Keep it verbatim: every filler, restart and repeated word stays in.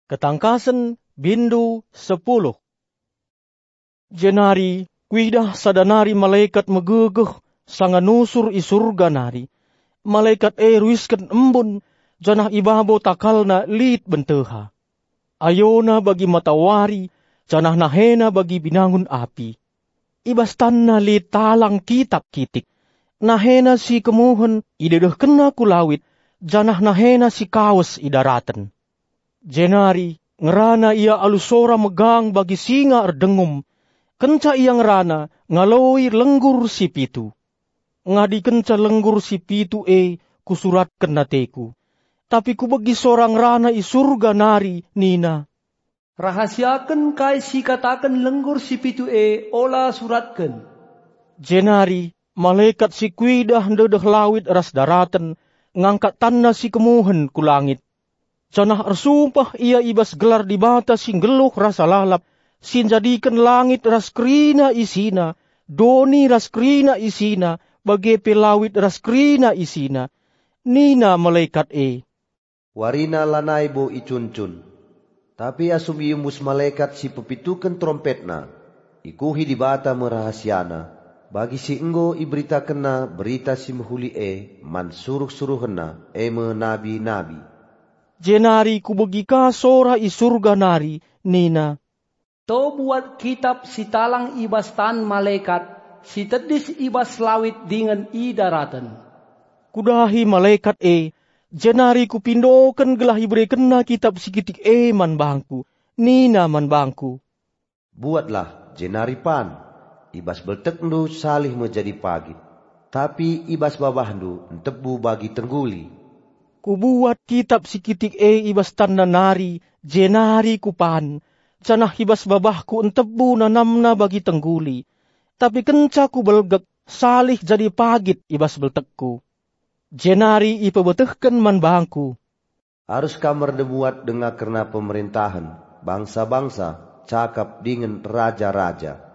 Ketangkasen, bindu sepuluh. Jenari kuidah sada nari malekat megegeh sanga nusur i Surga nari. Malekat e ruisken embun, janah i babo takalna lit benteha. Ayona bagi matawari, janah nahena bagi binangun api. I bas tanna lit talang kitap kitik. Nahena si kemuhen idedehkenna ku lawit, janah nahena si kawes i daraten. Jenari ngerana ia alu sora megang bagi singa erdengum. Kenca ia ngerana, ngaloi lenggur si pitu. Ngadikenca lenggur si pitu e, kusuratken ateku. Tapi kubegi sora ngerana i Surga nari nina, "Rahasiaken kai si ikataken lenggur si pitu e, ola suratken." Jenari malekat si kuidah ndedeh lawit ras daraten ngangkat tanna si kemuhen ku langit. Janah ersumpah ia i bas gelar Dibata si nggeluh rasa lalap, si njadiken langit ras kerina isina, doni ras kerina isina, bage pe lawit ras kerina isina. Nina malekat e, "Warina lanai bo icuncun." Tapi asum iembus malekat si pepituken terompetna, ikuhi Dibata me rahasiana, bagi si enggo iberitakenna Berita Si Mehuli e man suruh-suruhenna, e me nabi-nabi. Jenari kubegi ka sora i Surga nari nina, "To buat kitap si talang i bas tan malekat, si tedis i bas lawit dingen i daraten." Kudahi malekat e, jenari kupindoken gelah iberekenna kitap si kitik e man bangku. Nina man bangku, "Buatlah, jenari pan. I bas beltekndu salih me jadi pagit, tapi i bas babahndu ntebu bagi tengguli." Kubuat kitap si kitik e i bas tanna nari, jenari kupan, janah i bas babahku ntebu nanamna bagi tengguli. Tapi kenca kubelgek, salih jadi pagit i bas beltekku. Jenari ipebetehken man bangku, "Arus kam ernubuat denga kerna pemerentahen bangsa-bangsa, cakap dingen raja-raja."